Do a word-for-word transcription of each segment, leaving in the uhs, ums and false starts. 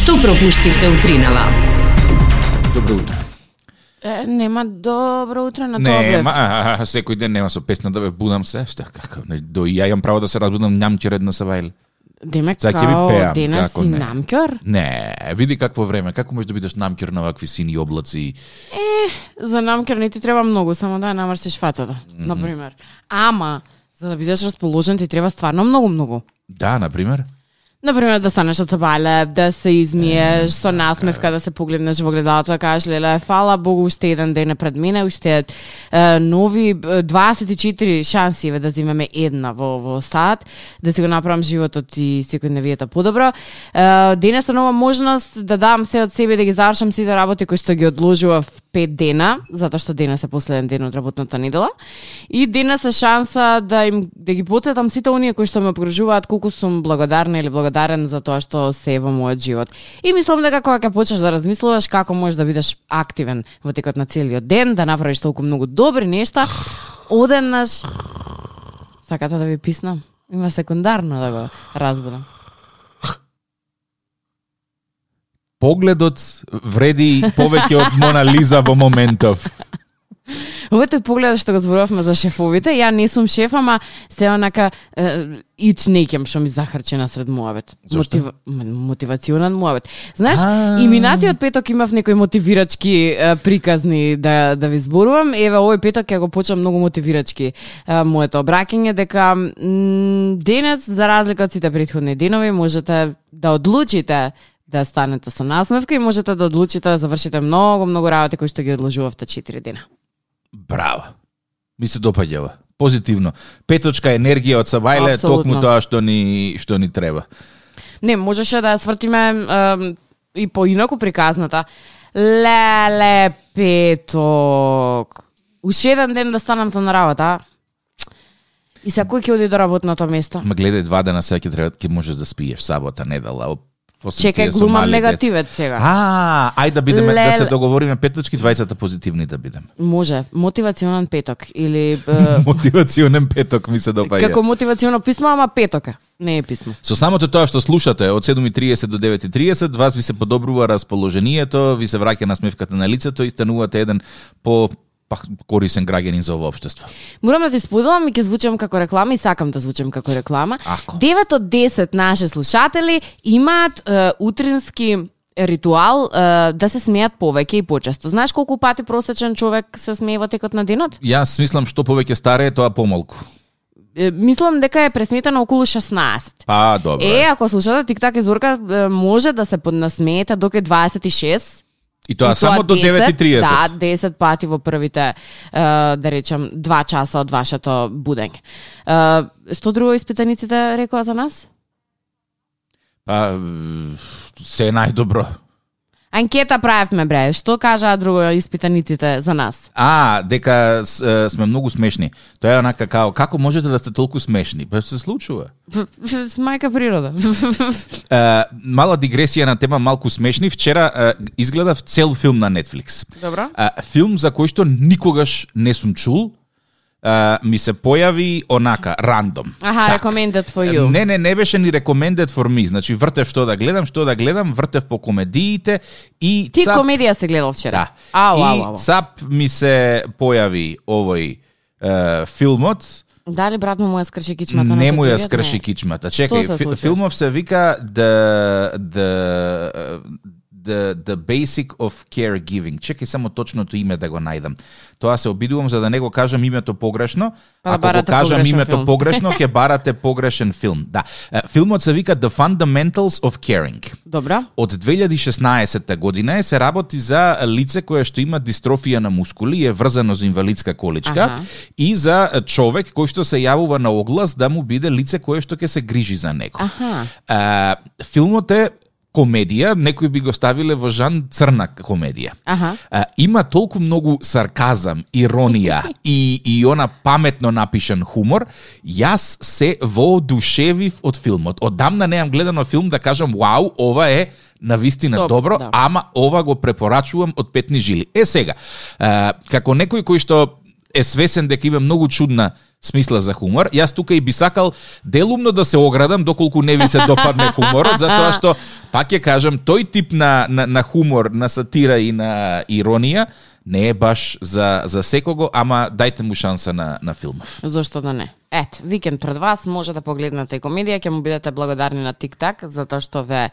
Што пропуштивте утринава? Добро утро. Е, нема добро утро на Не, Тоблев. ма, а, а, секој ден нема со песна да ве будам се. Шта, како, не, до ја имам право да се разбудам њамќер една савајле. Демек Сега ќе ви као пеам, денес како си не. намкер? Не, види какво време, како можеш да бидеш намкер на вакви сини облаци. За намкер не ти треба многу, само да ја намрсиш фацата, mm -hmm. например. Ама, за да бидеш расположен ти треба стварно многу-многу. Да, например. Например, да станеш од сабајле, да се измиеш, со насмевка да се погледнеш во гледалото, да кажеш, леле, фала Богу, уште еден ден е пред мене, уште е, нови е, дваесет и четири шанси еве да земеме една во, во стат, да си го направам животот и секојдневието подобро. Е, денес е нова можност да дам се од себе, да ги завршам сите работи кои што ги одложував пет дена, затоа што денес е последен ден од работната недела. И денес е шанса да им да ги потсетам сите оние кои што ме окружуваат колку сум благодарна или благодарен за тоа што се е во мојот живот. И мислам дека кога ќе почнеш да размислуваш како можеш да бидеш активен во текот на целиот ден, да направиш толку многу добри нешта, одеднаш сакате да ви писнам? Има секундарно да го разбудам. Погледот вреди повеќе од Мона Лиза во моментов. Ова тој поглед што го зборувавме за шефовите, ја не сум шеф, ама се онака ич некем што ми захарчи насред муавет. Мотив... Мотивационен муавет. Знаеш, и минатиот петок имав некои мотивирачки е, приказни да да ви зборувам. Еве овој петок ќе го почнам многу мотивирачки е, моето обраќање дека м, денес за разлика од сите претходни денови можете да одлучите да станете со насмевка и можете да одлучите да завршите многу многу работи кои што ги одложувавте четири дена. Браво. Ми се допаѓава. Позитивно. Петочка енергија од сабајле, Апсолутно. токму тоа што ни што ни треба. Не, можеше да ја свртиме е, и поинаку приказната. Леле, петок. Уште еден ден да станам за на работа. И секој ќе оди до работното место. Ма гледај, два дена сега ќе треба ќе можеш да спиеш сабота, недела. После Чекај, тие со глумам мали негативец деца. сега. А, ајде да бидеме да се Леле. договориме петочки, дваесет позитивни да бидеме. Може, мотивационен петок или е, Мотивационен петок ми се допаѓа. како мотивационо писмо, ама петок е. Не е писмо. Со самото тоа што слушате од седум и триесет до девет и триесет, вас ви се подобрува расположението, ви се враќа насмевката на лицето и станувате еден по па, корисен граѓанин за ово општество. Морам да ти споделам и ќе звучам како реклама и сакам да звучам како реклама. Ако? девет од десет наши слушатели имаат е, утрински ритуал е, да се смеат повеќе и почесто. Знаеш колку пати просечен човек се смее во текот на денот? Јас мислам што повеќе старе, тоа помалку. Е, мислам дека е пресметано околу шеснаесет. Па, добро. Е, ако слушате Тик-так и Зорка, е, може да се поднасмеете до кај дваесет и шест. И тоа само до девет и триесет. Да, десет пати во првите, е, да речем, два часа од вашето будење. Е, што друго испитаниците рекоа за нас? Па, се е најдобро. Анкета правевме, бре. Што кажаа друго испитаниците за нас? А, дека с, е, сме многу смешни. Тоа е онака као, како можете да сте толку смешни? Па се случува. Мајка природа. Е, мала дигресија на тема малку смешни. Вчера е, изгледав цел филм на Netflix. Добро. Е, филм за кој што никогаш не сум чул. Uh, ми се појави онака, рандом. Аха, Цак. recommended for you. Не, не, не беше ни recommended for me. Значи, вртев што да гледам, што да гледам, вртев по комедиите и Ти цап... комедија се гледал вчера? Да. Ау, и ау, ау. цап ми се појави овој е, филмот. Дали брат му му ја скрши кичмата? Не на му ја телевизија? скрши Не. кичмата. Што Чекај, се фи, случи? филмов се вика The, the, the, the Basic of Caregiving. Чекај само точното име да го најдам. Тоа се обидувам за да не го кажам името погрешно. Па да Ако го барате кажам погрешен името филм. погрешно, ќе барате погрешен филм. Да. Е, Филмот се вика The Fundamentals of Caring. Добра. Од две илјади и шеснаесетта година е се работи за лице кое што има дистрофија на мускули и е врзано за инвалидска количка. Аха. И за човек кој што се јавува на оглас да му биде лице кое што ќе се грижи за него. Аха. А, филмот е комедија, некои би го ставиле во жан црна комедија. Аха. А, има толку многу сарказам, иронија и, и она паметно напишан хумор. Јас се воодушевив од филмот. Одамна неам гледано филм да кажам, вау, ова е навистина Топ, добро, да. ама ова го препорачувам од петни жили. Е сега, а, како некој кој што е свесен дека има многу чудна смисла за хумор. Јас тука и би сакал делумно да се оградам доколку не ви се допадне хуморот, затоа што, пак ќе кажам, тој тип на, на, на хумор, на сатира и на иронија не е баш за, за секого, ама дајте му шанса на, на филмов. Зошто да не? Ет, викенд пред вас, може да погледнете и комедија, ќе му бидете благодарни на Тик-так, затоа што ве е,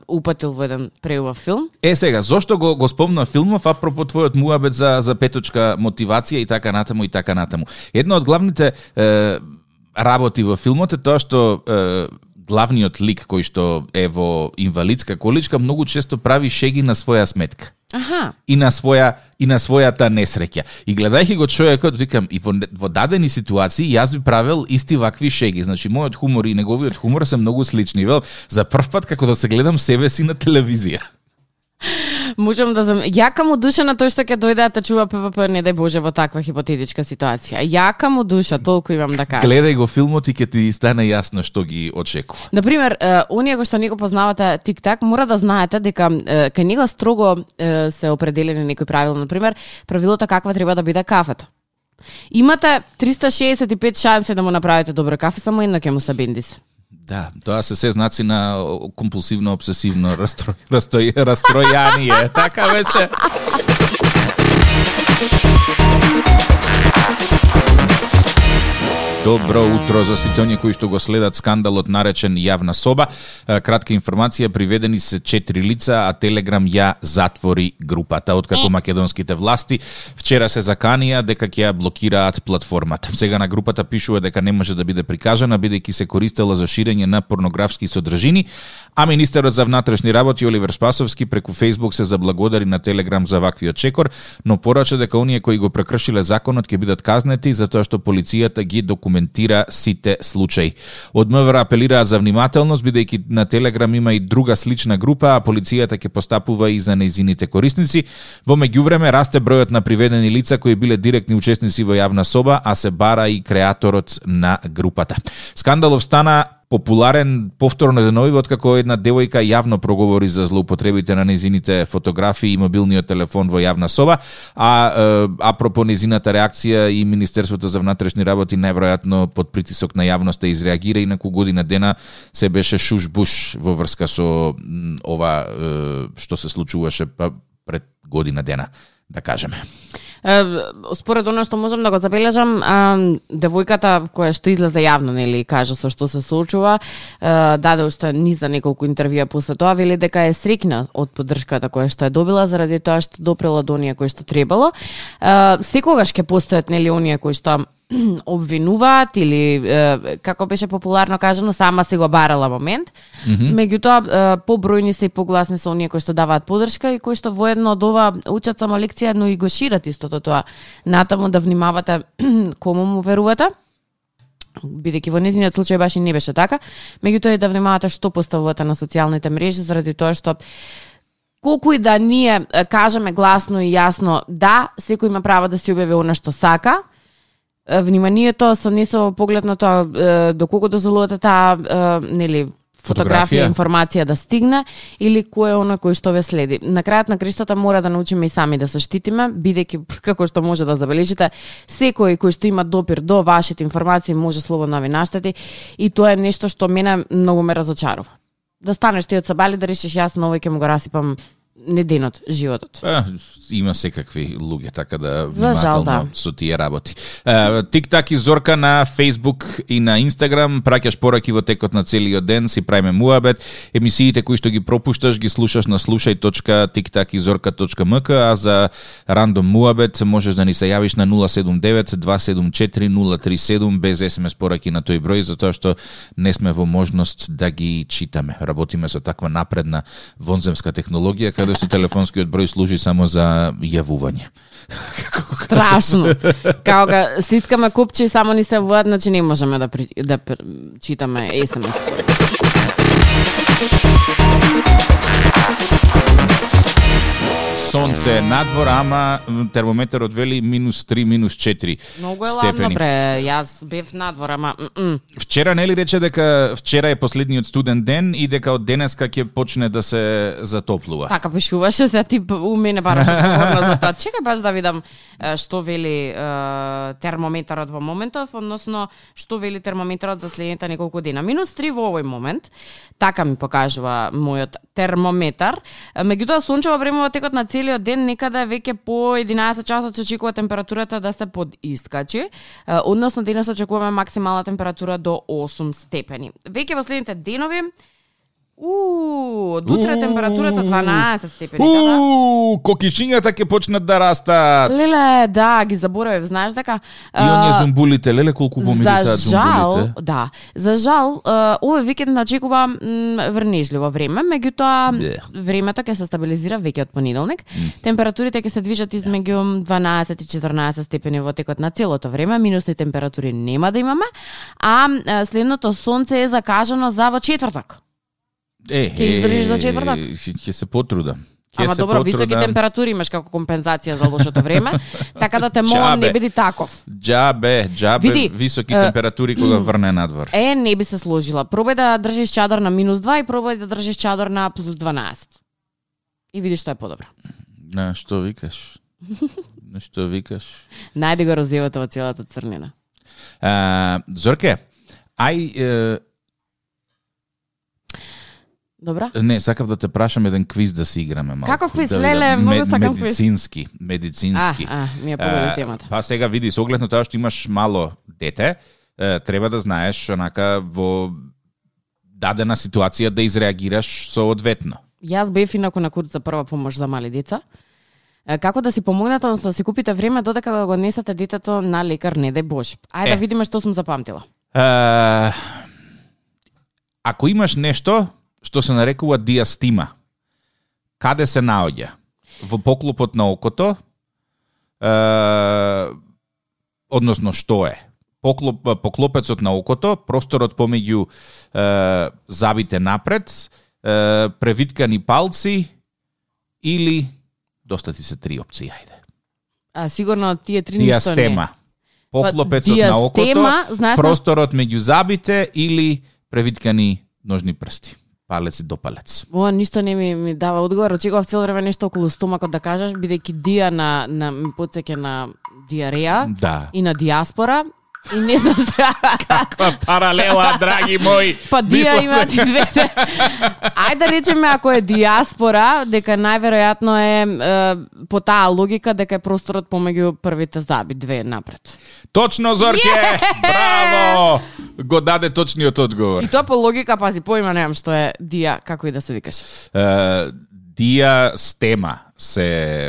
упатил во еден преубав филм. Е, сега, зошто го, го спомна филмов, апропо твојот муабет за, за петочка мотивација и така натаму и така натаму. Една од главните е, работи во филмот е тоа што е, главниот лик кој што е во инвалидска количка многу често прави шеги на своја сметка. Аха. И на своја и на својата несреќа. И гледајќи го човекот, викам, и во, во дадени ситуации јас би правел исти вакви шеги. Значи мојот хумор и неговиот хумор се многу слични. Вел, за прв пат како да се гледам себе си на телевизија. Можам да зам... Јака му душа на тој што ќе дојде да те чува ППП, не дај Боже, во таква хипотетичка ситуација. Јака му душа, толку имам да кажам. Гледај го филмот и ќе ти стане јасно што ги очекува. Например, оние кои што не го познавате Тик-так, мора да знаете дека кај него строго се определени некои правила. Например, правилото каква треба да биде кафето. Имате триста шеесет и пет шанси да му направите добро кафе, само едно ќе му се бенди се. Да, тоа се се знаци на компулсивно обсесивно растро... растој... растројание. Така беше. Добро утро за сите оние кои што го следат скандалот наречен Јавна соба. Кратка информација, приведени се четири лица, а Телеграм ја затвори групата. Откако македонските власти вчера се заканија дека ќе ја блокираат платформата. Сега на групата пишува дека не може да биде прикажана, бидејќи се користела за ширење на порнографски содржини, а министерот за внатрешни работи Оливер Спасовски преку Фејсбук се заблагодари на Телеграм за ваквиот чекор, но порача дека оние кои го прекршиле законот ќе бидат казнети затоа што полицијата ги документира сите случаи. Од МВР апелираат за внимателност, бидејќи на Телеграм има и друга слична група, а полицијата ќе постапува и за нејзините корисници. Во меѓувреме расте бројот на приведени лица кои биле директни учесници во Јавна соба, а се бара и креаторот на групата. Скандалов стана популарен повторно денови откако една девојка јавно проговори за злоупотребите на нејзините фотографии и мобилниот телефон во Јавна соба, а е, апропо нејзината реакција и Министерството за внатрешни работи најверојатно под притисок на јавноста изреагира и неколку година дена се беше шуш-буш во врска со ова е, што се случуваше пред година дена, да кажеме. Според оно што можам да го забележам, девојката која што излезе јавно, нели, кажа со што се соочува, даде уште низ за неколку интервјуа после тоа, вели дека е среќна од поддршката која што е добила заради тоа што допрела до оние кои што требало. Секогаш ќе постојат, нели, оние кои што обвинуваат или е, како беше популарно кажано, сама си го барала момент. Mm -hmm. Меѓутоа е, побројни се и погласни се оние кои што даваат поддршка и кои што воедно од ова учат само лекција, но и го шират истото тоа. Натаму да внимавате кому му верувате, бидејќи во нејзиниот случај баш и не беше така. Меѓутоа и да внимавате што поставувате на социјалните мрежи, заради тоа што колку и да ние кажеме гласно и јасно, да, секој има право да си објави она што сака, вниманието со не со поглед на тоа доколку дозволувате таа нели фотографија, информација да стигне или кој е оној кој што ве следи. На крајот на криштата мора да научиме и сами да се штитиме, бидејќи како што може да забележите, секој кој што има допир до вашите информации може слободно да ви наштети и тоа е нешто што мене многу ме разочарува. Да станеш ти од сабали да решиш јас на овој ќе му го расипам неденот, животот. Е, има секакви луѓе, така да внимателно жал, да. со тие работи. Тик-так и Зорка на Facebook и на Instagram, праќаш пораки во текот на целиот ден, си правиме муабет. Емисиите кои што ги пропушташ ги слушаш на слушај точка тик так и зорка точка ем ка, а за рандом муабет можеш да ни се јавиш на нула седум девет два седум четири нула три седум без ес ем ес пораки на тој број, затоа што не сме во можност да ги читаме. Работиме со таква напредна вонземска технологија, каде што телефонскиот број служи само за јавување. Страшно. Као га стискаме купче и само ни се јавуваат, значи не можеме да, при, да читаме ес ем ес. се надвор, ама термометарот вели минус три, минус четири Многу е степени. ладно, бре. Јас бев надвор, ама... м-м. Вчера нели рече дека вчера е последниот студен ден и дека од денеска ќе почне да се затоплува. Така пишуваше, се ти у мене бараш одговорна за тоа. Чекај баш да видам е, што вели е, термометарот во моментов, односно што вели термометарот за следните неколку дена. Минус три во овој момент, така ми покажува мојот термометар. Меѓутоа сончево време во текот на целиот ден, некаде веќе по единаесет часот се очекува температурата да се подискачи, односно денес очекуваме максимална температура до осум степени. Веќе во следните денови У, од утре температурата дванаесет степени, да? У, кокичињата ќе почнат да растат. Леле, да, ги заборавив, знаеш дека И оние зумбулите, леле колку помирисаат за жал, зумбулите. да, за жал, овој викенд начекува врнежливо време, меѓутоа Yeah. времето ќе се стабилизира веќе од понеделник. Mm. Температурите ќе се движат измеѓу дванаесет и четрнаесет степени во текот на целото време, минусни температури нема да имаме, а следното сонце е закажано за во четврток. Е, Ќе издржиш до четвртак? Ќе се потрудам. Ќе Ама се добро, потрудам. високи температури имаш како компензација за лошото време, така да те молам Џабе. не биди таков. Џабе, џабе, Види, високи е, температури кога врне надвор. Е, не би се сложила. Пробај да држиш чадор на минус два и пробај да држиш чадор на плюс дванаесет. И видиш што е подобро. На што викаш? На што викаш? Најди го розевото во целата црнина. А, Зорке, ај е, Добра? не, сакав да те прашам еден квиз да си играме малку. Каков квиз? Да Леле, видам. многу Мед- сакам квиз. Медицински, медицински. А, а, ми е погоди А, темата. Па сега види, со оглед на тоа што имаш мало дете, е, треба да знаеш онака во дадена ситуација да изреагираш соодветно. Јас бев инаку на курс за прва помош за мали деца. Е, Како да си помогнете, односно да си купите време додека да го однесете детето на лекар, не дај Боже. Ајде Е. да видиме што сум запамтила. А, ако имаш нешто што се нарекува диастима, каде се наоѓа? Во поклопот на окото, е, односно што е? Поклоп, поклопецот на окото, просторот помеѓу е, забите напред, е, превиткани палци или доста ти се три опции, ајде. А сигурно тие три ништо не. Диастема. Поклопецот Па, на окото, диастема, знаеш на- просторот меѓу забите или превиткани ножни прсти. Палец до палец. Ова ништо не ми, ми дава одговор. Очекував цело време нешто околу стомакот да кажеш, бидејќи дија на, на ми потсеќа на диареја Да. и на диаспора. И не знам сега. Каква паралела, драги мои. Па дија имаат и двете. Ајде да речеме ако е диаспора, дека најверојатно е, е по таа логика дека е просторот помеѓу првите заби, две напред. Точно, Зорке! Браво! Го даде точниот одговор. И тоа по логика, пази, поима немам што е дија, како и да се викаш. Uh, диастема се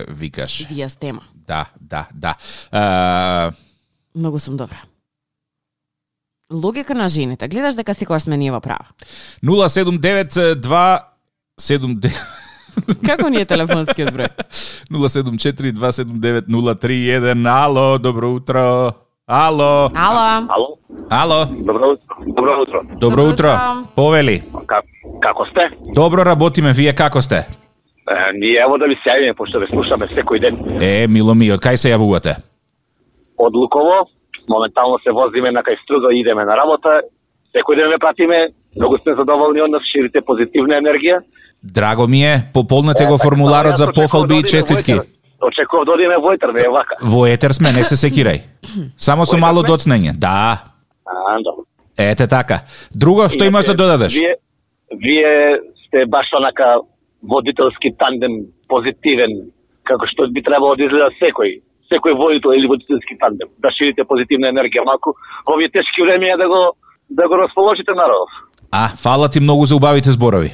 викаш. Диастема. Да, да, да. Uh, Многу сум добра. Логика на жените. Гледаш дека секогаш сме ние во права. нула седум девет два седум девет Како ни е телефонскиот број? нула седум четири два седум девет нула три еден. Ало, добро утро. Ало. Ало. Ало, Ало. добро утро. Добро утро. Добро Добро утро. утро. Повели. Как, како сте? Добро работиме, вие како сте? Е, ние ево да ви се јавиме, пошто ве слушаме секој ден. Е, мило ми, од кај се јавувате? Од Луково, моментално се возиме на кај Струдо и идеме на работа. Секој ден ве пратиме, многу сме задоволни од нас, ширите позитивна енергија. Драго ми е, пополнете го Е, формуларот така, за очекував пофалби да и одиме честитки. во етер. Очекував да одиме во етер, не е вака. Во етер сме, не се секирај. Само со Во етер мало сме? доцнење. Да. А, добро. Ете така. Друго што имаш да додадеш? Вие, вие сте баш онака водителски тандем, позитивен, како што би требало да изгледа секој. Секој водител или водителски тандем. Да ширите позитивна енергија малку. Во овие тешки времиња да го да го расположите народов. А, фала ти многу за убавите зборови.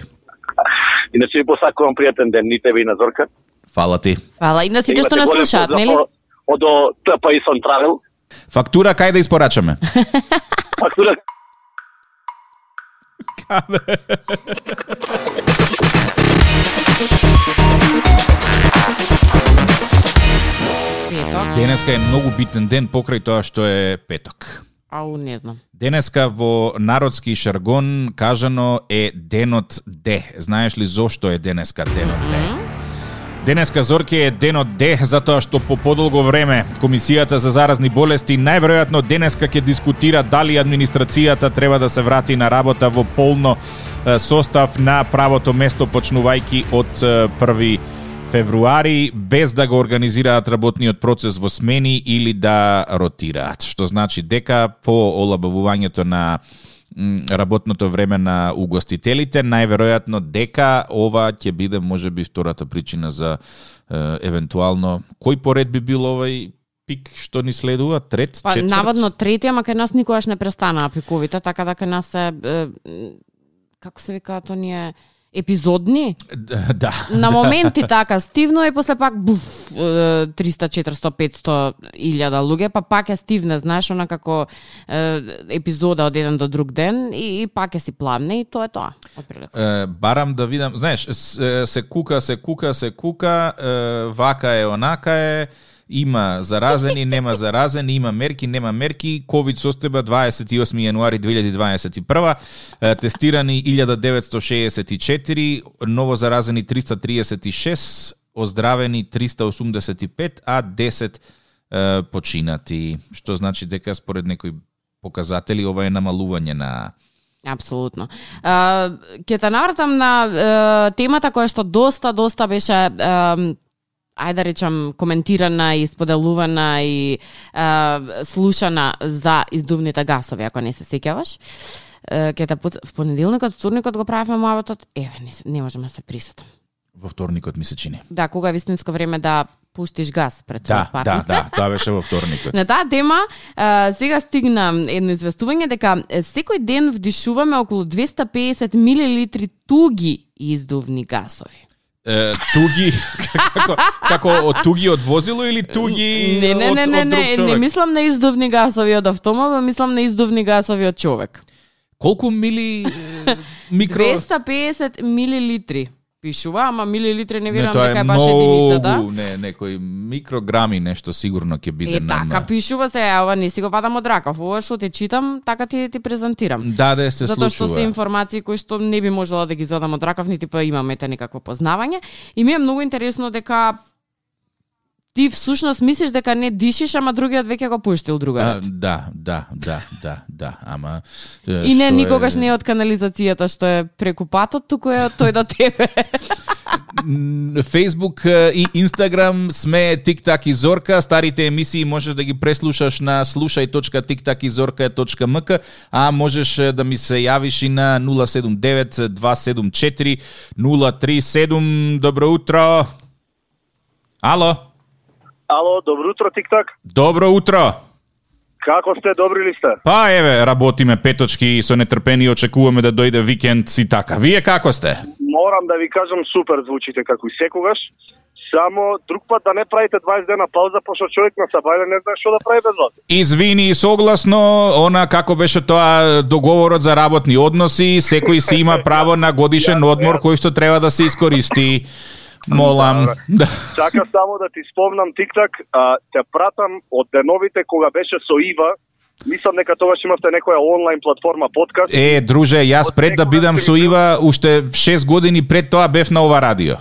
Иначе ви посакувам пријатен ден, ни тебе и на Зорка. Фала ти. Фала и на сите што Имате нас голем слушаат, поздрав нели? Од од Т П И Сон Травел. Фактура кај да испорачаме? Фактура Петок. Денеска е многу битен ден покрај тоа што е петок. Ау, не знам. Денеска во народски шаргон кажано е денот Д. Знаеш ли зошто е денеска денот Д? Денеска, Зорке, е денот Д, затоа што по подолго време Комисијата за заразни болести најверојатно денеска ќе дискутира дали администрацијата треба да се врати на работа во полно состав на правото место, почнувајќи од први февруари, без да го организираат работниот процес во смени или да ротираат. Што значи дека по олабавувањето на работното време на угостителите, најверојатно дека ова ќе биде можеби втората причина за е, евентуално кој поред би бил овај пик што ни следува, трет, па, четврт? Наводно трети, ама кај нас никогаш не престанаа пиковите, така да кај нас се е, како се викаат оние епизодни? Да. На моменти така стивно и после пак буф, триста, четириста, петсто илјада луѓе, па пак е стивне, знаеш, она како е, епизода од еден до друг ден и, и пак е си пламне и тоа е тоа. Е, барам да видам, знаеш, се, се кука, се кука, се кука, е, вака е, онака е, има заразени, нема заразени, има мерки, нема мерки. ковид состојба дваесет и осми јануари две илјади дваесет и прва, тестирани илјада деветстотини шеесет и четири, ново заразени триста триесет и шест, оздравени триста осумдесет и пет, а десет е, починати. Што значи дека според некои показатели ова е намалување на... Апсолутно. Uh, ќе те навратам на uh, темата која што доста, доста беше... Uh, ајде да речам, коментирана и споделувана и е, слушана за издувните гасови, ако не се сеќаваш. Е, ке та в понеделникот, вторникот го правевме муабетот, еве, не, не можеме да се присетам. Во вторникот ми се чини. Да, кога е вистинско време да пуштиш газ пред да, партнер. Да, да, тоа беше во вторникот. На таа тема, е, сега стигна едно известување дека секој ден вдишуваме околу двесте и песет милилитри туги издувни гасови. Uh, туги како како од туги од возило или туги не, не, од, не, не, од друг не, човек? Не мислам на издувни гасови од автомобил, мислам на издувни гасови од човек. Колку мили микро двесте и песет милилитри пишува, ама милилитри не верувам не, дека е баш единицата. Не, некои микрограми нешто сигурно ќе биде е, нам. така пишува се, ова не си го падам од ракав. Ова што те читам, така ти ти презентирам. Да, да се Затоа случува. што се информации кои што не би можела да ги извадам од ракав, нити па имаме те некакво познавање. И ми е многу интересно дека ти всушност мислиш дека не дишиш, ама другиот веќе го пуштил другаот. Да, да, да, да, да, ама и не никогаш е... не е од канализацијата што е преку патот, туку е од тој до тебе. Facebook и Instagram сме Тик-так и Зорка. Старите емисии можеш да ги преслушаш на слушај точка тик так и зорка точка ем ка, а можеш да ми се јавиш и на нула седум девет два седум четири нула три седум. Добро утро. Ало. Ало, добро утро, Тик-так. Добро утро. Како сте, добри ли сте? Па еве, работиме петочки и со нетрпение очекуваме да дојде викенд и така. Вие како сте? Морам да ви кажам, супер звучите како и секогаш. Само друг пат да не правите дваесет дена пауза, пошто човек на сабајле не знае што да прави без вас. Извини, согласно она како беше тоа договорот за работни односи, секој си има право на годишен одмор кој што треба да се искористи. Молам. Да. Чака само да ти спомнам, Тик-так, а, те пратам од деновите кога беше со Ива. Мислам дека тогаш имавте некоја онлайн платформа подкаст. Е, друже, јас пред да бидам со Ива, уште шест години пред тоа бев на ова радио.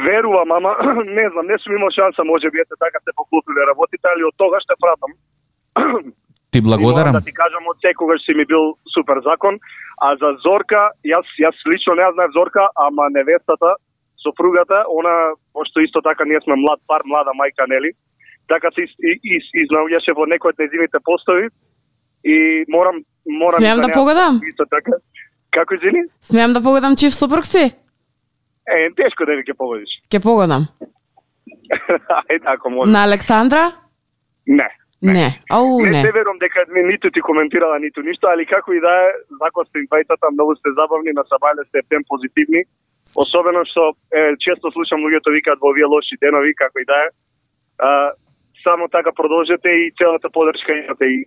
Верувам, ама не знам, не сум имал шанса, може би ете така се поклопиле работите, али од тогаш те пратам. Ти благодарам. Да ти кажам, од секогаш си ми бил супер закон. А за Зорка, јас јас лично не ја знаев Зорка, ама невестата, сопругата, она, пошто исто така ние сме млад пар, млада мајка, нели? Така се изнаоѓаше во некој од незините постови и морам морам Смеам да, да погодам? Исто така. Како извини? Смеам да погодам чив сопруг си? Е, тешко да ви ќе погодиш. Ке погодам. Ајде, ако може. На Александра? Не. Не. не. Ау, не. Не се верувам дека ниту ти коментирала, ниту ништо, али како и да е, закон сте двајцата, многу сте забавни, на сабајле сте птен позитивни. Особено што е, често слушам луѓето викаат во овие лоши денови, како и да е. А, само така продолжете и целата поддршка имате и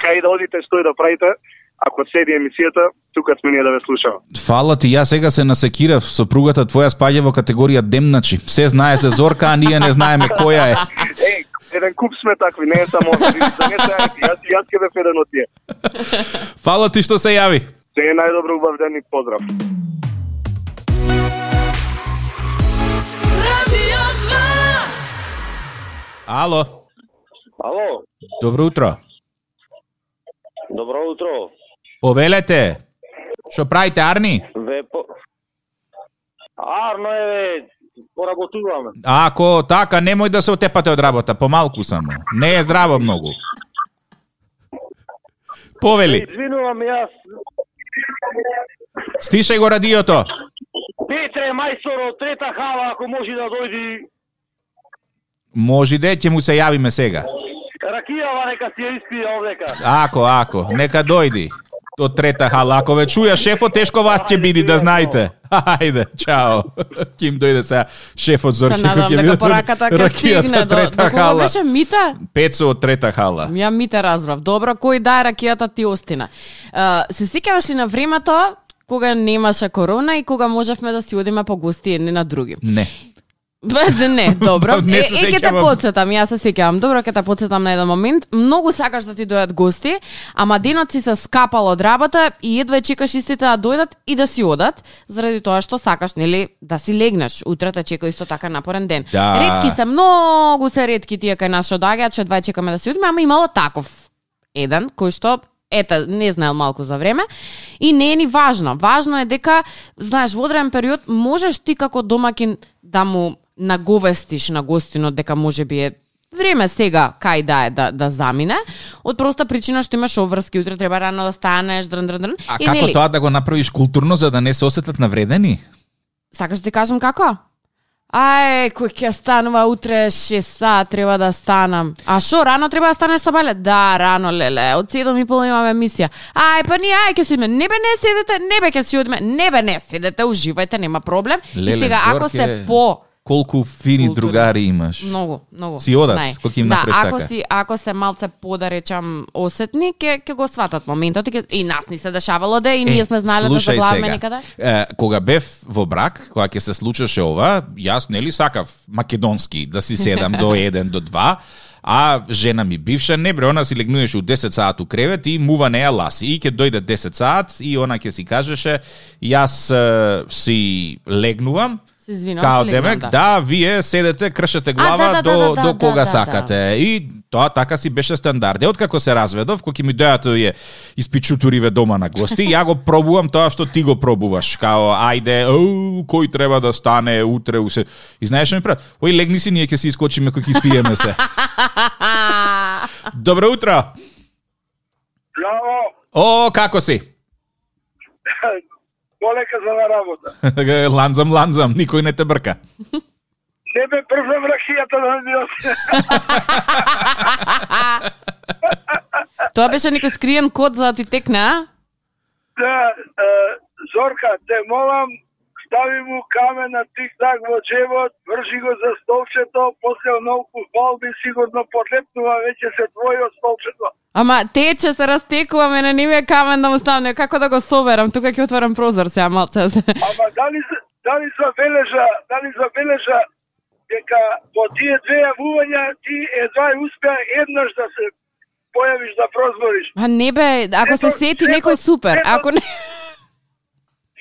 кај да одите, што и да правите, ако седи емисијата, тука сме ние да ве слушаме. Фала ти, јас сега се насекирав, сопругата твоја спаѓа во категорија демначи. Се знае се Зорка, а ние не знаеме која е. Еј, еден куп сме такви, не е само да не се јас јас ќе бев еден од тие. Фала ти што се јави. Се е најдобро, убав ден и поздрав. Radio Ало. Ало. Добро утро. Добро утро. Повелете. Што правите, Арни? Ве по... Арно е, ве, поработуваме. Ако така, немој да се отепате од работа, помалку само. Не е здраво многу. Повели. Извинувам, јас. Стишај го радиото. Петре мајстор од трета хала, ако може да дојди. Може да, ќе му се јавиме сега. Ракијава нека си ја испие овдека. Ако, ако, нека дојди. Од трета хала. Ако ве чуја шефот, тешко вас ќе биде, да знаете. Хајде, чао. Ким дојде сега шефот Зорке, кој ќе биде ракијата од трета хала. Беше Мита? Пецо од трета хала. Ја Мита разбрав. Добро, кој дае ракијата ти остина. Uh, се сеќаваш ли на времето кога немаше корона и кога можевме да си одиме по гости едни на други? Не. Не, добро. Не е, се е, ќе те сеќавам. подсетам, јас се сеќавам. Добро, ќе те подсетам на еден момент. Многу сакаш да ти дојдат гости, ама денот си се скапал од работа и едва чекаш истите да дојдат и да си одат, заради тоа што сакаш, нели, да си легнеш. Утре те чека исто така напорен ден. Да. Ретки се, многу се ретки тие кај нас што доаѓаат, што едва чекаме да си одиме, ама имало таков еден кој што ета, не знаел малку за време и не е ни важно. Важно е дека, знаеш, во одреден период можеш ти како домакин да му наговестиш на гостинот дека може би е време сега кај да е да, да замине, од проста причина што имаш обврски, утре треба рано да станеш, дрн, дрн, дрн. А И, како нели, тоа да го направиш културно за да не се осетат навредени? Сакаш да ти кажам како? Ај, кој ќе станува утре шест сат, треба да станам. А шо, рано треба да станеш Сабале? Да, рано, леле, од седум и пол имаме емисија. Ај, па ние, ај, ќе си одиме. Не бе, не седете, не бе, ќе си одиме. Не бе, не седете, уживајте, нема проблем. Леле, и сега, ако Зорке, сте по... Колку фини Културни. другари имаш. Многу, многу. Си одат, Нај. кој ќе им да, направиш ако така. си ако се малце по да речам осетни, ќе ќе го сватат моментот и, ке, и нас ни се дешавало да и ние сме знаеле да слушај заглаваме сега. никаде. Е, кога бев во брак, кога ќе се случеше ова, јас нели сакав македонски да си седам до еден до два, а жена ми бивша не бре, она си легнуеше у десет саат у кревет и мува неа ласи. И ќе дојде десет саат и она ќе си кажеше јас е, си легнувам. Се извинувам, Као се демек, легнам, да. седете, седете, кршете глава А, да, да, до, да, да, до да, кога да, сакате. да. И тоа така си беше стандард. Е, откако се разведов, кога ќе ми дојат овие испичутуриве дома на гости, ја го пробувам тоа што ти го пробуваш. Као, ајде, оу, кој треба да стане утре, усе. И знаеш што ми прават? Ој, легни си, ние ќе си искочиме кој ќе испиеме се. Добро утро. Браво, О, како си? полека за на работа. ланзам, ланзам, никој не те брка. Не бе првам ракијата да ми осе. Тоа беше некој скриен код за да ти текне, а? Да, е, Зорка, те молам, стави му камен на тик-так во джебот, вржи го за столчето, после оноку балби сигурно подлепнува веќе се твојо столчето. Ама тече се растекува, мене не ми е камен да му ставне, како да го соберам, тука ќе отворам прозор сега малце. Ама дали, дали забележа, дали забележа дека во тие две јавувања ти едва успеа еднаш да се појавиш да прозбориш. А не бе, ако се Сето- сети сето- некој супер, сето- ако не...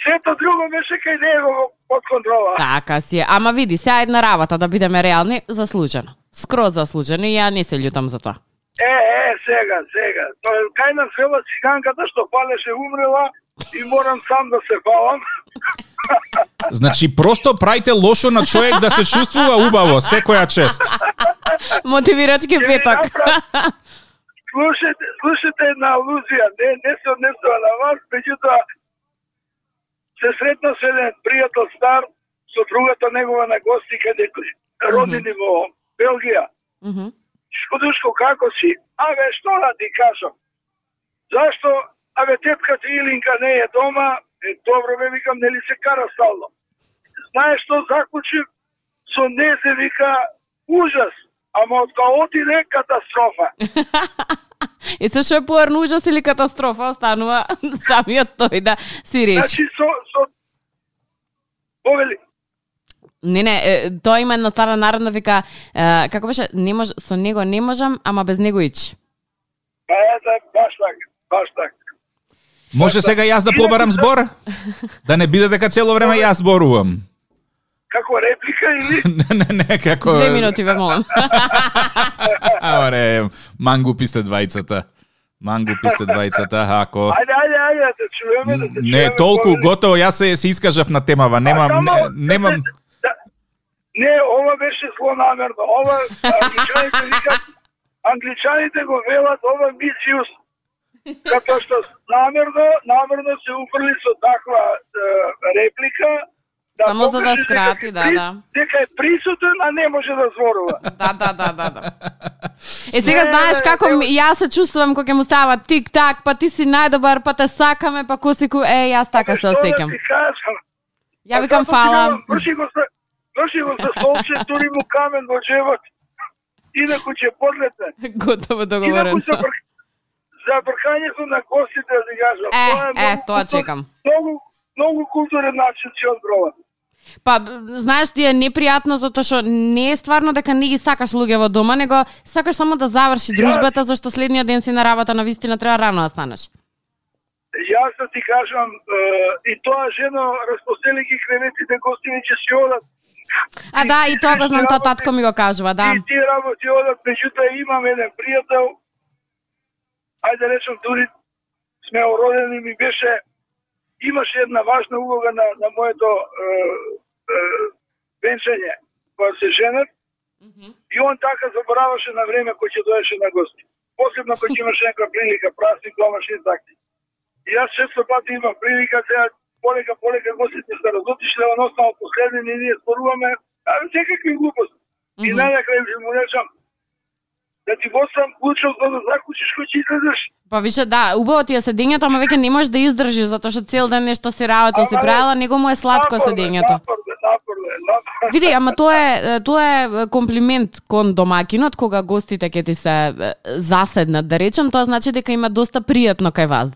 Сето друго беше кај него под контрола. Така си е. Ама види, сега една работа, да бидеме реални, заслужено. Скроз заслужено и ја не се љутам за тоа. Е, е, сега, сега. Тоа е кај на села циганката што палеше умрела и морам сам да се балам. Значи, просто правите лошо на човек да се чувствува убаво, секоја чест. Мотивирачки Ќе ви петок. направам- Слушайте, слушайте една алузија, не, не се однесува на вас, меѓутоа се сретна со еден пријател стар, со другата негова на гости каде роднини во Белгија. Мгм. Шкодушко, како си? Абе, што да ти кажам? Зашто? Абе, тетка ти Илинка не е дома, е добро, бе, викам, нели се кара стално. Знаеш што заклучив? Со незе, вика, ужас, ама од кога отиде, катастрофа. И се што е поарно ужас или катастрофа, останува самиот тој да си реши. Значи, со... со... Повели, Не, не, е, тоа има една стара народна вика, е, како беше, не мож, со него не можам, ама без него ич. па ете, баш така, баш така. Може сега јас да побарам збор? Да не биде дека цело време јас зборувам. Како некаква реплика или? не, не, не, како... Две минути, ве молам. Оре, мангу писте двајцата. Мангу писте двајцата, ако... Ајде, ајде, ајде, да те чуеме, да те чуеме. Не, толку готово, јас се, се искажав на темава, немам... А, само, не, немам... Да, не, ова беше злонамерно. Ова, англичаните викат, англичаните го велат, ова мисиус. Като што намерно, намерно се уфрли со таква е, реплика, да Само за да покаже скрати, дека да, при- да. Дека е присутен, а не може да зборува. Да, да, да, да, да. Е, сега знаеш како ми- јас се чувствувам кога ќе му става тик-так, па ти си најдобар, па те сакаме, па косику, е, јас така се Што да осеќам. ти кажам? Ја викам фала. Врши го за, врши го за столче, тури му камен во джебот. Инаку ќе подлетне. Готово Инаку договорено. за, бр... за бркањето на гостите, да ти кажам. Е, Тоа е, многу тоа култур- чекам. Многу, многу културен начин ќе одброва. Па, знаеш, ти е непријатно затоа што не е стварно дека не ги сакаш луѓе во дома, него сакаш само да заврши дружбата, зашто следниот ден си на работа, на вистина треба рано да станеш. Јас да ти кажам, е, и тоа жено разпостели ги креветите, гостини ќе си одат. А да, и тоа го знам, тоа татко ми го кажува, да. И тие работи одат, меѓутоа имам еден пријател, ајде да речем, дури сме ородени, ми беше, имаше една важна улога на, на моето е, е, венчање, кога се женат, и он така забораваше на време кој ќе доеше на гости. Посебно кој ќе имаше некоја прилика, празник, домашни такти. И јас често пати имам прилика, сега полека, полека гостите се разотишле, он останал последен и ние зборуваме, а секакви глупости. И најнакрај му речам, да ти босам клучов за да заклучиш кој ќе излезеш. Па више, да, убаво ти е седењето, ама веќе не можеш да издржиш, затоа што цел ден нешто си работа, си правила, него му е сладко седењето. Напорно, напорно, напорно. Види, ама тоа е тоа е комплимент кон домакинот кога гостите ќе ти се е, заседнат, да речем, тоа значи дека има доста пријатно кај вас.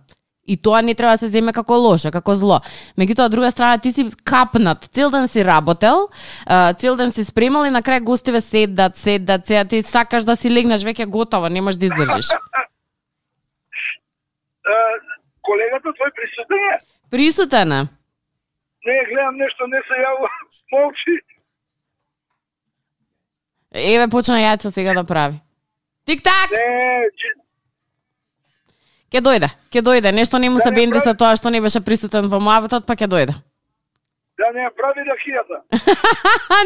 И тоа не треба да се земе како лошо, како зло. Меѓутоа, од друга страна, ти си капнат. Цел ден си работел, а, цел ден си спремал и на крај гостиве седат, седат, седат. Ти сакаш да си легнеш веќе готово, не можеш да издржиш. Е, колегата твој присутен е? Присутен е. Не, гледам нешто, не се јавува, молчи. Еве, почна јајца сега да прави. Тик-так! Не, че... Ке дојде, ке дојде. Нешто не му се Да не бенди прави- со тоа што не беше присутен во муабетот, па ке дојде. Да не ја прави ракијата.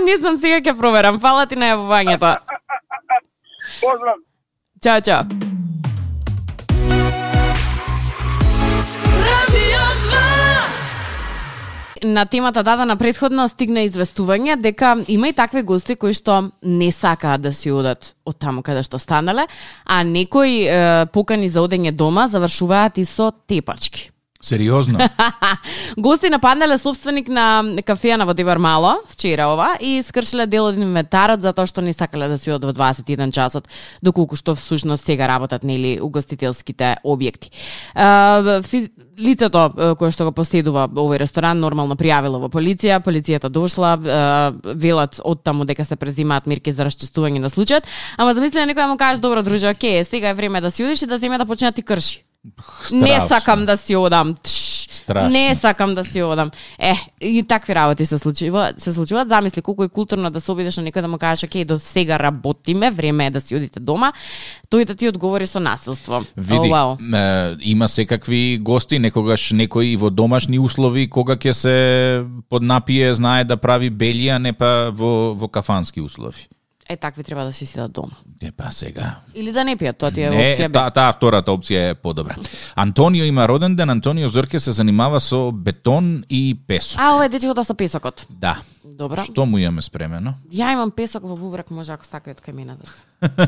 Не знам, сега ќе проверам. Фала ти на јавувањето. Поздрав. Чао, чао. На темата дадена предходно стигна известување дека има и такви гости кои што не сакаат да си одат од таму каде што станале, а некои е, покани за одење дома завршуваат и со тепачки. Сериозно? Гости нападнале собственик на кафеја во Дивар Мало вчера ова и скршиле дел од инвентарот затоа што не сакале да си одат во дваесет и еден часот, доколку што всушност сега работат нели угостителските објекти. Uh, фи... Лицето кое што го поседува овој ресторан нормално пријавило во полиција, полицијата дошла, uh, велат од таму дека се презимаат мерки за расчистување на случајот, ама замисли да некој му каже добро друже, окей, сега е време да си одиш и да земе да почне да ти крши. Не сакам да си одам. Тш, не сакам да си одам. Е, и такви работи се случуваат, се случуваат. Замисли колку е културно да се обидеш на некој да му кажеш, окей, до сега работиме, време е да си одите дома, тој да ти одговори со насилство. Види, oh, wow. е, има секакви гости, некогаш некој во домашни услови, кога ќе се поднапие, знае да прави белија, не па во, во кафански услови. Е, такви треба да си седат дома. Е, па сега. Или да не пијат, тоа ти е Не, опција. таа та, втората опција е подобра. Антонио има роден ден, Антонио Зорке се занимава со бетон и песок. А, ова е дечето со песокот. Да. Добро. Што му имаме спремено? Ја имам песок во бубрак, може ако стакаат кај мене да.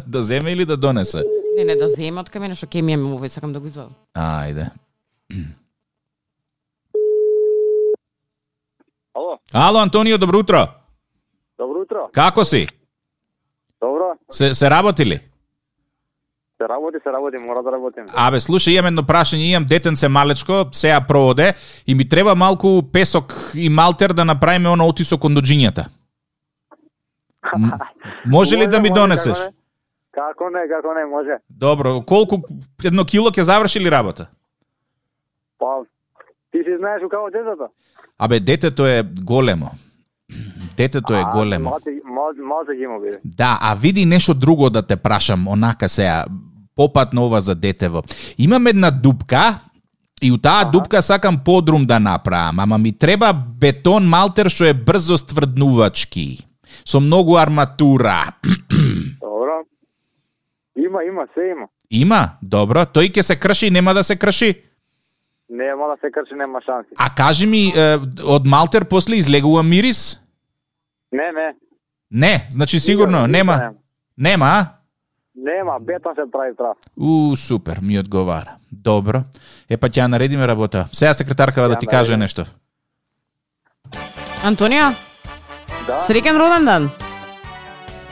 Да земе или да донесе? Не, не, да земе од кај мене, што ке ми имам овој, сакам да го извадам. Ајде. Ало, Ало, Антонио, добро утро. добро утро. Како си? Добро, Се, се работи ли? се работи, се работи, мора да работим. Абе, слушај, имам едно прашање, имам детенце малечко, сеја проводе и ми треба малку песок и малтер да направиме оно отисок кон доџињата. М- може ли да ми може, донесеш? Како не, како не, како не, може. Добро, колку едно кило ќе заврши ли работа? Па, ти си знаеш у како детето? Абе, детето е големо. Детето е големо. Може, може, може ги му биде. Да, а види нешто друго да те прашам, онака сега, попатно ова за детево. Имам една дупка, и у таа дупка сакам подрум да направам, ама ми треба бетон малтер што е брзо стврднувачки, со многу арматура. Добро. Има, има, се има. Има? Добро. Тој ќе се крши, нема да се крши? Нема да се крши, нема шанси. А кажи ми, е, од малтер после излегува мирис? Не, не. Не, значи сигурно, нема. Нема. Нема, а? Нема, бетон се прави прав. У, супер, ми одговара. Добро. Е, па ќе ја наредиме работа. Сега секретаркава да ти каже нешто. Антонио, Да. среќен роден ден.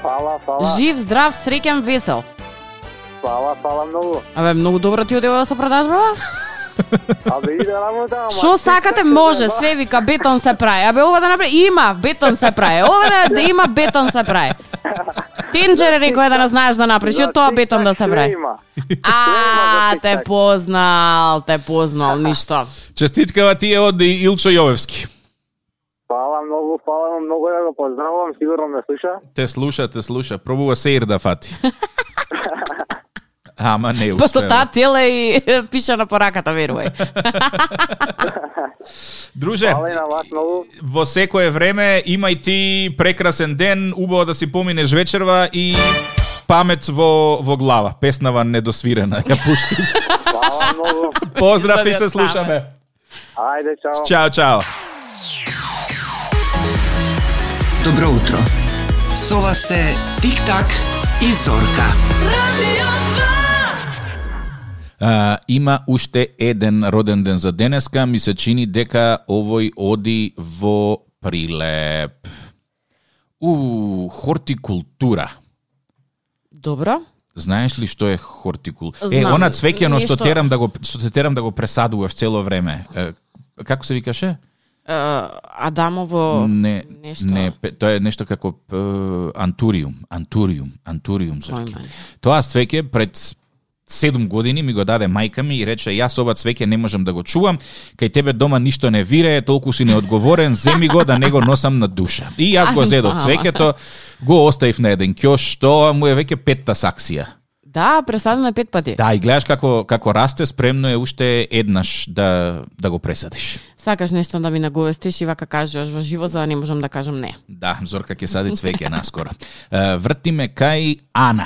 Фала, фала. Жив, здрав, среќен, весел. Фала, фала многу. Абе, многу добро ти одева со продажбава. Абе, иде работа, ама... Што сакате може, све вика бетон се прави. Абе, ова да направи, има, бетон се прави. Ова да, да има, бетон се прави. Тенџер некој да не знаеш да направиш, од тоа бетон да се прави. А, те познал, те познал, ништо. Честиткава ти е од Илчо Јовевски. Фала многу, фала многу да го поздравувам, сигурно ме слуша. Те слуша, те слуша. Пробува сеир да фати. Ама не успева. Па со таа цела и пиша на пораката, верувај. Друже, Фала и на вас многу. во секое време имај ти прекрасен ден, убаво да си поминеш вечерва и памет во, во глава. Песнава недосвирена, ја пуштив. Фала многу. Поздрав и се слушаме. Ајде, чао. Чао, чао. Добро утро. Со вас се Тик-так и Зорка. А, има уште еден роден ден за денеска, ми се чини дека овој оди во прилеп. У, хортикултура. Добро. Знаеш ли што е хортикултура? Е, Знам. она цвеќено што Нешто- терам да го што те терам да го пресадуваш цело време. Е, како се викаше? Uh, Адамово Не, нешто. не, пе- тоа е нешто како е, антуриум, антуриум, антуриум зорки. Појма. Тоа цвеќе пред седум години ми го даде мајка ми и рече јас ова цвеќе не можам да го чувам, кај тебе дома ништо не вирее, толку си неодговорен, земи го да не го носам на душа. И јас го Ај, зедов мама. цвеќето, го оставив на еден ќош, тоа му е веќе петта саксија. Да, пресадено е пет пати. Да, и гледаш како како расте, спремно е уште еднаш да да го пресадиш. Сакаш нешто да ми наговестиш и вака кажеш во живо, за да не можам да кажам не. Да, Зорка ќе сади цвеќе наскоро. Е, Вртиме кај Ана.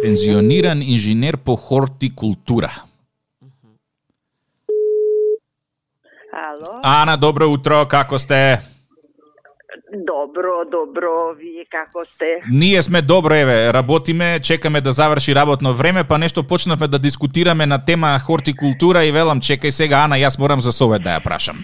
Пензиониран инженер по хортикултура. Ало, Ана, добро утро, како сте? добро, добро, вие како сте? Ние сме добро, еве, работиме, чекаме да заврши работно време, па нешто почнавме да дискутираме на тема хортикултура и велам, чекај сега, Ана, јас морам за совет да ја прашам.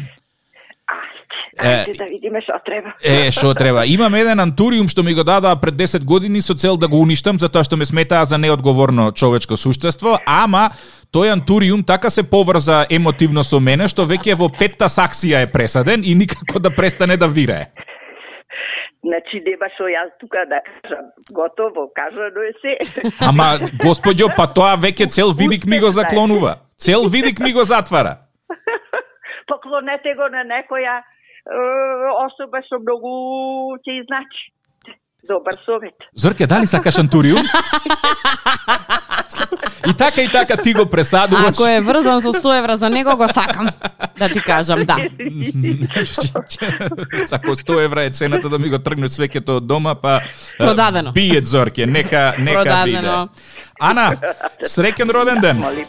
Ајде, ајде да видиме што треба. Е, што треба? Имам еден антуриум што ми го дадоа пред десет години со цел да го уништам, затоа што ме сметаа за неодговорно човечко суштество, ама тој антуриум така се поврза емотивно со мене, што веќе во петта саксија е пресаден и никако да престане да вирее. Значи, нема што јас тука да кажам. Готово, кажано е се. Ама, господјо, па тоа веќе цел видик ми го заклонува. Цел видик ми го затвара. Поклонете го на некоја е, особа што многу ќе изначи. Добар совет. Зорке, дали сакаш антуриум? И така и така ти го пресадуваш. Ако е врзан со сто евра за него, го сакам. Да ти кажам, да. Ако сто евра е цената да ми го тргнеш свеќето од дома, па Продадено. бијет Зорке, нека нека биде. Продадено. Ана, среќен роден ден. Молим.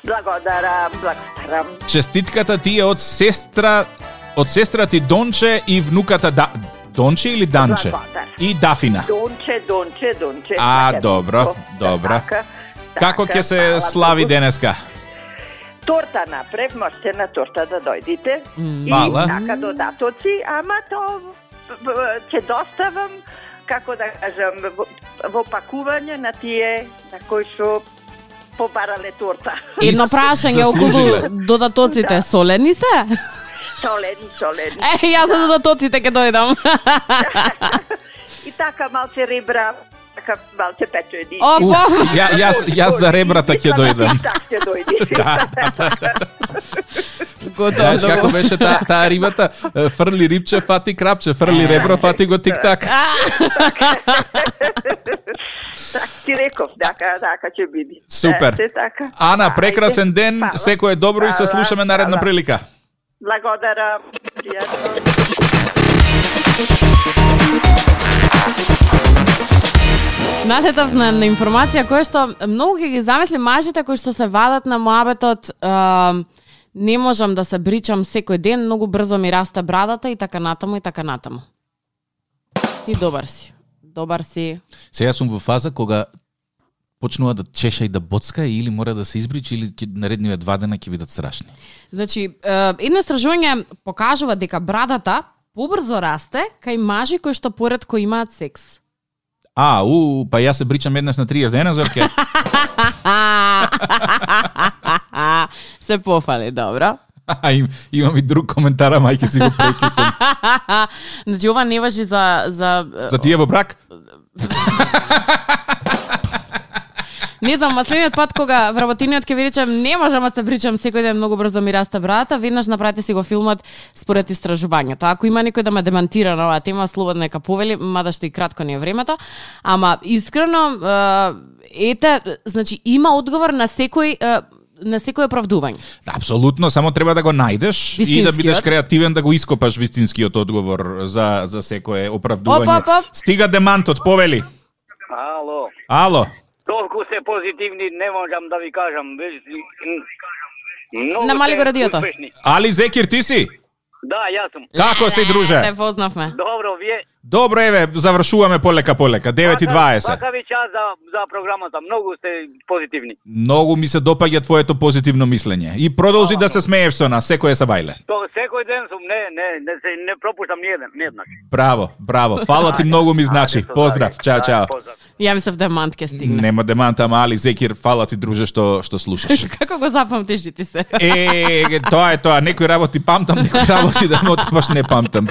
Благодарам, благодарам. Честитката ти е од сестра од сестра ти Донче и внуката да Донче или Данче? Благодар. И Дафина. Донче, Донче, Донче. А, Така, добро, така, добро. така, Како така, ќе се фала слави многу. денеска? Торта направив, можете на торта да дојдите. И Мала. така додатоци, ама то б- б- ќе доставам, како да кажам, во, во пакување на тие на кои што побарале торта. Едно И прашање заслужиле. околу додатоците, Да. солени се? Солени, солени. Е, јас за додатоците ќе дојдам. И така малце ребра, така малце печени. Оф, оф. Ја, јас, јас за ребрата ќе дојдам. Така ќе дојди. Готово. Знаеш како беше таа та рибата? Фрли рибче, фати крапче, фрли ребро, фати го тик-так. Так ти реков, така, така ќе биде. Супер. Се така. Ана, прекрасен ден, Фала. секој е добро и се Фала, слушаме наредна фала. прилика. Благодарам. Пријатно. Налетав на, на информација која што многу ќе ги замисли мажите кои што се вадат на муабетот, е, не можам да се бричам секој ден, многу брзо ми раста брадата и така натаму и така натаму. Ти добар си. Добар си. Сега сум во фаза кога почнува да чеша и да боцка или мора да се избричи или ќе наредниве два дена ќе бидат страшни. Значи, е, едно истражување покажува дека брадата побрзо расте кај мажи кои што поретко имаат секс. А, у, па јас се бричам еднаш на триесет дена, Зорке. Се пофали, добро. А, им, имам и друг коментар, а мајке си го прекитам. Значи, ова не важи за... За, За тие во брак? Не знам, следниот пат кога вработиниот ќе ви речем не можам да се причам секој ден многу брзо ми раста брадата, веднаш направете си го филмот според истражувањето. Ако има некој да ме демантира на оваа тема, слободно нека повели, мада што и кратко не е времето, ама искрено е, ете, значи има одговор на секој е, на секој оправдување. Апсолутно, само треба да го најдеш и да бидеш креативен да го ископаш вистинскиот одговор за за секое оправдување. Оп, оп, оп. Стига демантот, повели. Ало. Ало. Толку се позитивни, не можам да ви кажам. Многу Намали го радиото. успешни. Али Зекир, ти си? Да, јас сум. Како си, друже? Не познавме. Добро, вие? Добро, еве, завршуваме полека полека. девет и дваесет. Вака ви час за, за програмата. Многу сте позитивни. Многу ми се допаѓа твоето позитивно мислење. И продолжи да се смееш со нас, секој е сабајле. То секој ден сум, не, не, не, се, не пропуштам ниеден, ниеднаш. Браво, браво. Фала ти многу ми значи. Поздрав. Чао, чао. Ја мислев демант ќе стигне. Нема демант, ама Али Зекир, фала ти, друже, што што слушаш. Како го запамтиш ти се? Е, тоа е тоа. Некои работи памтам, некои работи да мотиваш не памтам.